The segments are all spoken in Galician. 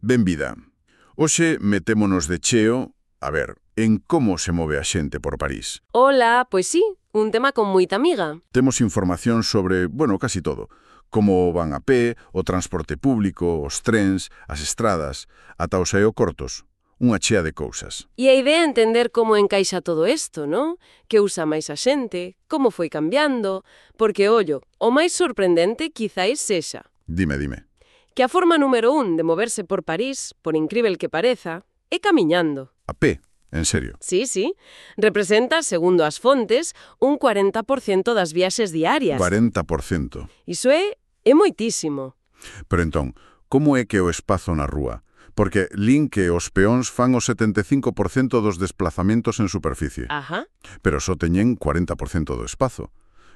Benvida. Hoxe metémonos de cheo, en como se move a xente por París. Ola, pois sí, un tema con moita amiga. Temos información sobre, casi todo. Como van a pé, o transporte público, os trens, as estradas, ata os aeroportos. Unha chea de cousas. E a idea é entender como encaixa todo isto, non? Que usa máis a xente, como foi cambiando, porque, ollo, o máis sorprendente quizáis sexa Dime. que a forma número 1 de moverse por París, por incrível que pareza, é camiñando. A pé, en serio. Sí, representa, segundo as fontes, un 40% das viaxes diarias. 40%. Iso é moitísimo. Pero entón, como é que o espazo na rúa? Porque lin que os peóns fan o 75% dos desplazamentos en superficie. Ajá. Pero só teñen 40% do espazo.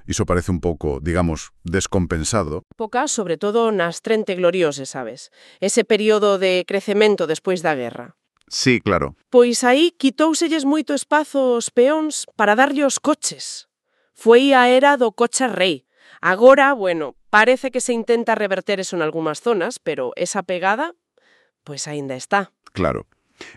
Iso parece un pouco, digamos, descompensado. Poca, sobre todo nas 30 glorioses, sabes? Ese período de crecemento despois da guerra. Sí, claro. Pois aí quitóuselles moito espazo aos peóns para darlle os coches. Foi a era do coche rei. Agora, parece que se intenta reverter eso en algunhas zonas, pero esa pegada, pois aínda está. Claro.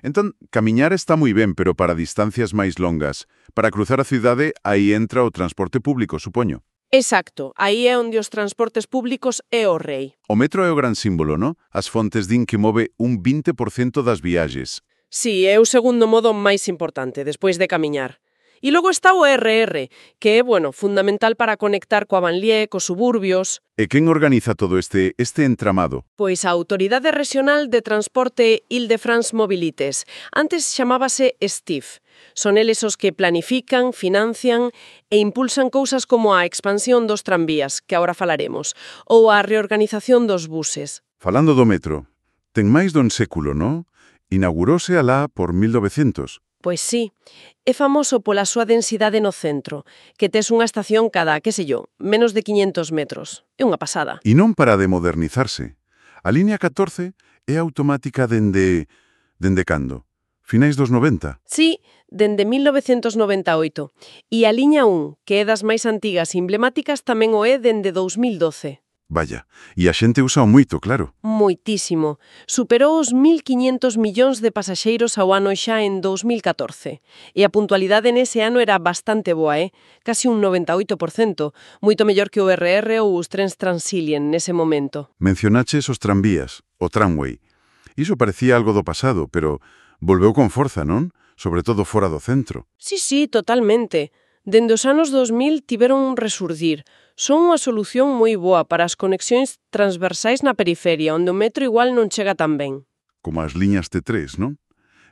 Entón, camiñar está moi ben, pero para distancias máis longas. Para cruzar a cidade, aí entra o transporte público, supoño. Exacto, aí é onde os transportes públicos é o rei. O metro é o gran símbolo, non? As fontes din que move un 20% das viaxes. Sí, é o segundo modo máis importante, despois de camiñar. E logo está o RR, que é, fundamental para conectar coa banlieue, cos suburbios. E quen organiza todo este entramado? Pois a Autoridade Regional de Transporte Île-de-France Mobilités. Antes chamábase STIF. Son eles os que planifican, financian e impulsan cousas como a expansión dos tranvías, que agora falaremos, ou a reorganización dos buses. Falando do metro, ten máis dun século, non? Inaugurouse alá por 1900. Pois sí, é famoso pola súa densidade no centro, que tes unha estación cada, menos de 500 metros. É unha pasada. E non para de modernizarse. A línea 14 é automática dende cando? Finais dos 90? Sí, dende 1998. E a liña 1, que é das máis antigas e emblemáticas, tamén o é dende 2012. Vaya, e a xente usa moito, claro. Moitísimo. Superou os 1.500 millóns de pasaxeiros ao ano xa en 2014. E a puntualidade nese ano era bastante boa, Casi un 98%, moito mellor que o RR ou os trens Transilien nese momento. Mencionaches os tranvías, o tramway. Iso parecía algo do pasado, pero volveu con forza, non? Sobre todo fora do centro. Sí, totalmente. Dende os anos 2000 tiveron un resurdir. Son unha solución moi boa para as conexións transversais na periferia, onde o metro igual non chega tan ben. Como as liñas T3, non?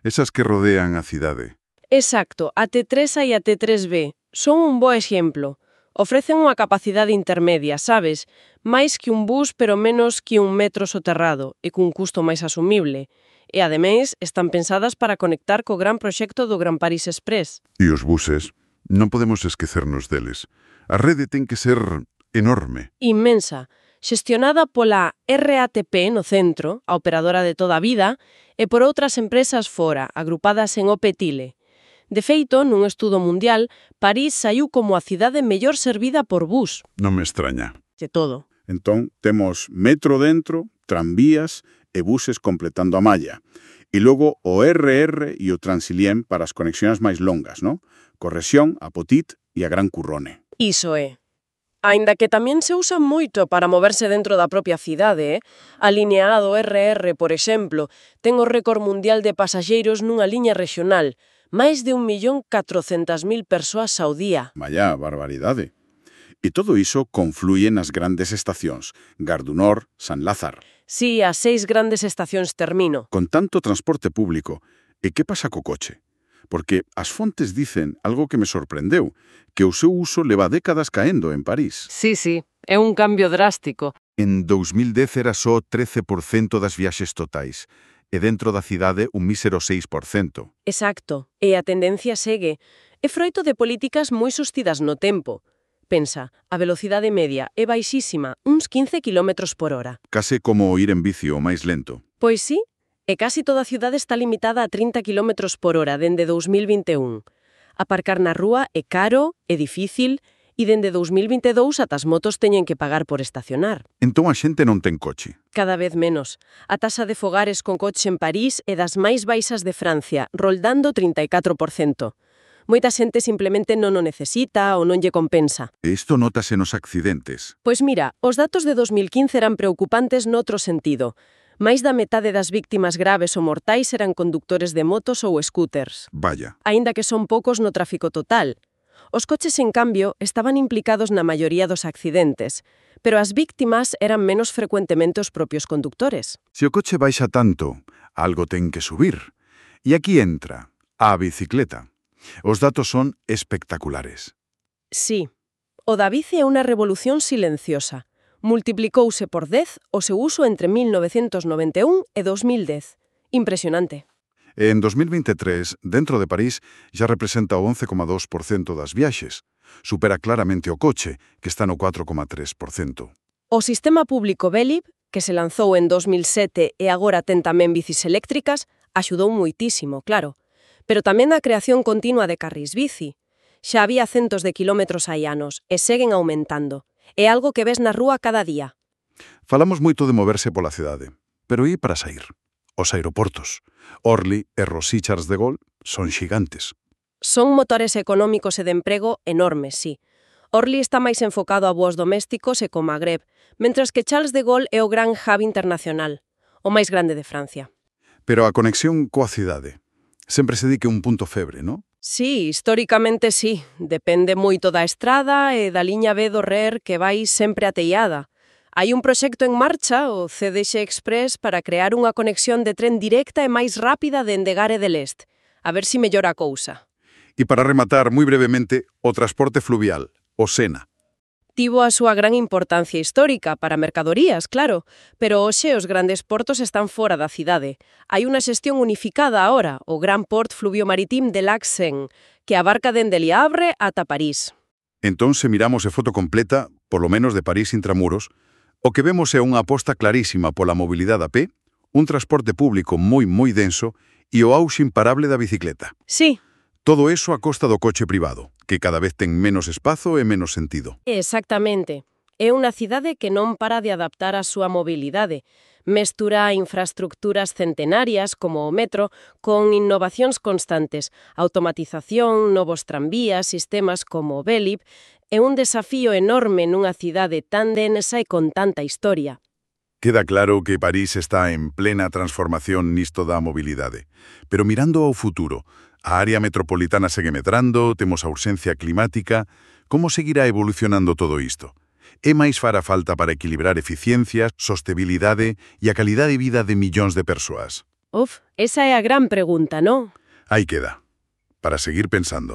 Esas que rodean a cidade. Exacto, a T3A e a T3B son un bo exemplo. Ofrecen unha capacidade intermedia, sabes? Máis que un bus, pero menos que un metro soterrado, e cun custo máis asumible. E, ademais, están pensadas para conectar co gran proxecto do Gran París Express. E os buses? Non podemos esquecernos deles. A rede ten que ser enorme. Inmensa, xestionada pola RATP no centro, a operadora de toda a vida, e por outras empresas fora, agrupadas en OPTILE. De feito, nun estudo mundial, París saiu como a cidade mellor servida por bus. Non me extraña. De todo. Entón, temos metro dentro, tranvías e buses completando a malla. E logo o RR e o Transilien para as conexións máis longas, non? Correxión, a Potit e a Gran Currone. Iso é. Aínda que tamén se usa moito para moverse dentro da propia cidade, A liña A do RR, por exemplo, ten o récord mundial de pasaxeiros nunha liña regional, máis de 1.400.000 persoas ao día. Vaya, barbaridade. E todo iso confluye nas grandes estacións, Gare du Nord, San Lázaro. Sí, as 6 grandes estacións termino. Con tanto transporte público, e que pasa co coche? Porque as fontes dicen algo que me sorprendeu, que o seu uso leva décadas caendo en París. Sí, é un cambio drástico. En 2010 era só 13% das viaxes totais, e dentro da cidade un mísero 6%. Exacto, e a tendencia segue. É froito de políticas moi sostidas no tempo. Pensa, a velocidade media é baixísima, uns 15 km por hora. Case como ir en bici o máis lento. Pois sí, e casi toda a cidade está limitada a 30 km por hora dende 2021. Aparcar na rúa é caro, é difícil, E dende 2022 ata as motos teñen que pagar por estacionar. Entón a xente non ten coche. Cada vez menos. A taxa de fogares con coche en París é das máis baixas de Francia, roldando 34%. Moita xente simplemente non o necesita ou non lle compensa. E isto nótase nos accidentes. Pois mira, os datos de 2015 eran preocupantes noutro sentido. Máis da metade das víctimas graves ou mortais eran condutores de motos ou scooters. Vaya. Aínda que son poucos no tráfico total. Os coches, en cambio, estaban implicados na maioría dos accidentes, pero as víctimas eran menos frecuentemente os propios conductores. Se o coche baixa tanto, algo ten que subir. E aquí entra a bicicleta. Os datos son espectaculares. Sí, o da bici é unha revolución silenciosa. Multiplicouse por 10 o seu uso entre 1991 e 2010. Impresionante. En 2023, dentro de París, xa representa o 11,2% das viaxes. Supera claramente o coche, que está no 4,3%. O sistema público Velib, que se lanzou en 2007 e agora ten tamén bicis eléctricas, axudou muitísimo, claro. Pero tamén a creación continua de carrís bici. Xa había centos de quilómetros hai anos e seguen aumentando. É algo que ves na rúa cada día. Falamos moito de moverse pola cidade, pero e para sair? Os aeroportos. Orly e Roissy Charles de Gaulle son xigantes. Son motores económicos e de emprego enormes, sí. Orly está máis enfocado a voos domésticos e co Magreb, mentras que Charles de Gaulle é o gran hub internacional, o máis grande de Francia. Pero a conexión coa cidade sempre se di que un punto febre, non? Sí, históricamente sí. Depende moito da estrada e da liña B do RER que vai sempre ateillada. Hai un proxecto en marcha, o CDX Express, para crear unha conexión de tren directa e máis rápida dende Gare de l'Est. A ver si mellora a cousa. E para rematar, moi brevemente, o transporte fluvial, o Sena. Tivo a súa gran importancia histórica para mercadorías, claro, pero hoxe os grandes portos están fora da cidade. Hai unha xestión unificada agora, o Gran Port Fluvio Maritim de Lac Seine, que abarca dende Le Havre ata París. Entón, se miramos a foto completa, polo menos de París intramuros, o que vemos é unha aposta clarísima pola mobilidade a pé, un transporte público moi denso e o auxe imparable da bicicleta. Sí. Todo eso a costa do coche privado, que cada vez ten menos espazo e menos sentido. Exactamente. É unha cidade que non para de adaptar a súa mobilidade. Mestura infraestructuras centenarias, como o metro, con innovacións constantes, automatización, novos tranvías, sistemas como o Velib. É un desafío enorme nunha cidade tan densa e con tanta historia. Queda claro que París está en plena transformación nisto da mobilidade. Pero mirando ao futuro, a área metropolitana segue medrando, temos a urxencia climática. Como seguirá evolucionando todo isto? É máis fará falta para equilibrar eficiencia, sostenibilidade e a calidade de vida de millóns de persoas? Esa é a gran pregunta, non? Aí queda, para seguir pensando.